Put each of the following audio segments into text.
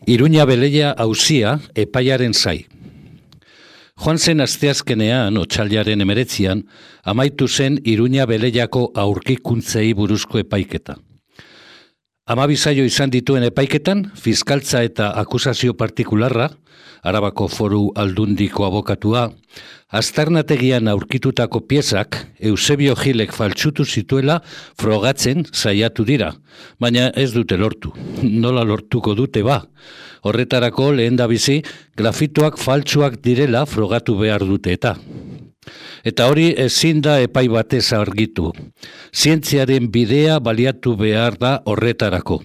Iruña Beleia auzia epaiaren zai. Joan zen asteazkenean, otsailaren 19, amaitu zen Iruña Beleiako aurkikuntzei buruzko epaiketa. 12 saio izan dituen epaiketan, fiskaltza eta akusazio partikularra, Arabako Foru Aldundiko abokatua, aztarnategian aurkitutako piezak Eusebio Gilek faltsutu zituela frogatzen saiatu dira, baina ez dute lortu. Nola lortuko dute ba? Horretarako lehendabizi grafitoak faltsuak direla frogatu behar dute eta. Eta hori ezin da epai batez argitu. Zientziaren bidea baliatu behar da horretarako.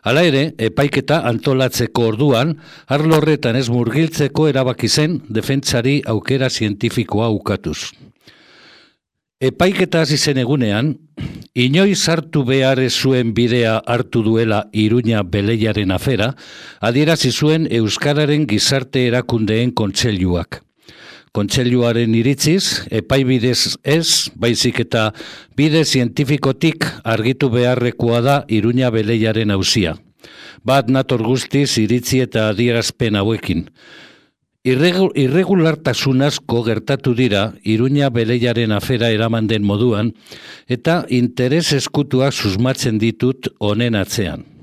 Hala ere, epaiketa antolatzeko orduan, arlo horretan ez murgiltzeko erabaki zen defentsari aukera zientifikoa ukatuz. Epaiketa hasi zen egunean, inoiz hartu behar ez zuen bidea hartu duela Iruña Beleiaren afera, adierazi zuen Euskararen Gizarte Erakundeen Kontseiluak. Kontseiluaren iritziz, epaibidez ez, baizik eta bide zientifikotik argitu beharrekoa da Iruña Beleiaren auzia. Bat nator guztiz iritzi eta adierazpen hauekin. Irregulartasun asko gertatu dira Iruña Beleiaren afera eraman den moduan eta interes eskutuak susmatzen ditut honen atzean.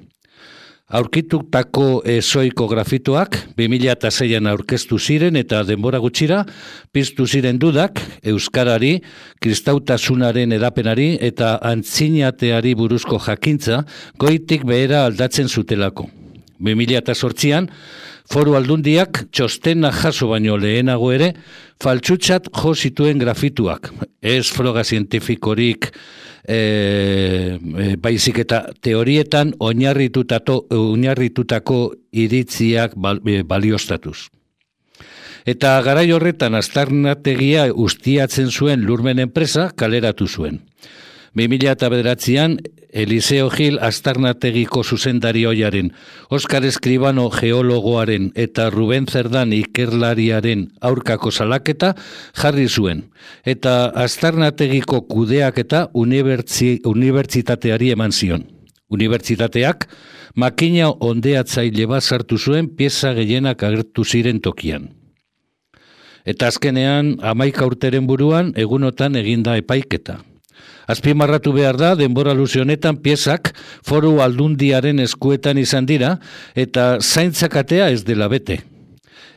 Aurkitutako ezoiko grafitoak 2006an aurkeztu ziren eta denbora gutxira piztu ziren dudak euskarari, kristautasunaren edapenari eta antzinateari buruzko jakintza goitik behera aldatzen zutelako. 2008an Foru Aldundiak txostena jaso baino lehenago ere faltsutzat jo zituen grafituak. Ez froga zientifikorik baizik eta teorietan oinarritutako iritziak baliostatuz. Eta garai horretan aztarnategia ustiatzen zuen Lurmen enpresa kaleratu zuen. 2009an Eliseo Gil aztarnategiko zuzendari ohiaren, Oskar Eskribano geologoaren eta Ruben Zerdan ikerlariaren aurkako salaketa jarri zuen, eta aztarnategiko kudeaketa unibertsitateari eman zion. Unibertsitateak makina ondeatzaile bat sartu zuen pieza gehienak agertu ziren tokian. Eta azkenean 11 urteren buruan egunotan eginda epaiketa. Azpimarratu behar da, denbora luze honetan piezak Foru Aldundiaren eskuetan izan dira eta zaintzakatea ez dela bete.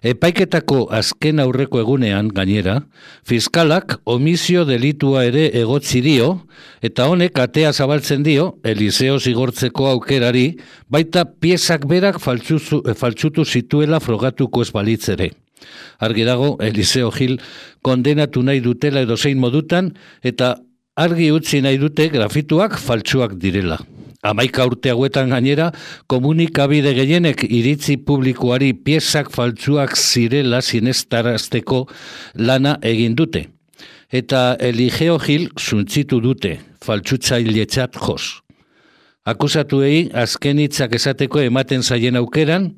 Epaiketako azken aurreko egunean, gainera, fiskalak omizio delitua ere egotzi dio eta honek atea zabaltzen dio Eliseo zigortzeko aukerari baita piezak berak faltsutu zituela frogatuko ez balitz ere. Argi dago, Eliseo Gil kondenatu nahi dutela edozein modutan eta argi utzi nahi dute grafituak faltsuak direla. 11 urte hauetan gainera, komunikabide gehienek iritzi publikoari piezak faltsuak zirela sinestarazteko lana egin dute. Eta Eliseo Gil zuntzitu dute, faltsutzailetzat joz. Akusatuei azken hitzak esateko ematen zaien aukeran,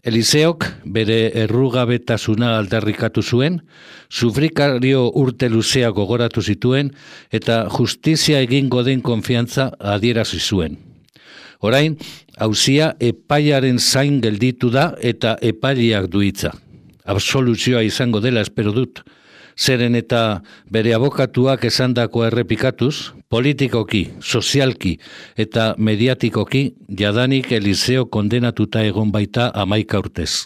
Eliseok bere errugabetasuna aldarrikatu zuen, sufrikario urte luzea gogoratu zituen eta justizia egingo den konfiantza adierazi zuen. Orain, auzia epaiaren zain gelditu da eta epaileak du hitza. Absoluzioa izango dela espero dut. Zeren eta bere abokatuak esandakoa errepikatuz, politikoki, sozialki eta mediatikoki jadanik Eliseo kondenatuta egon baita 11 urtez.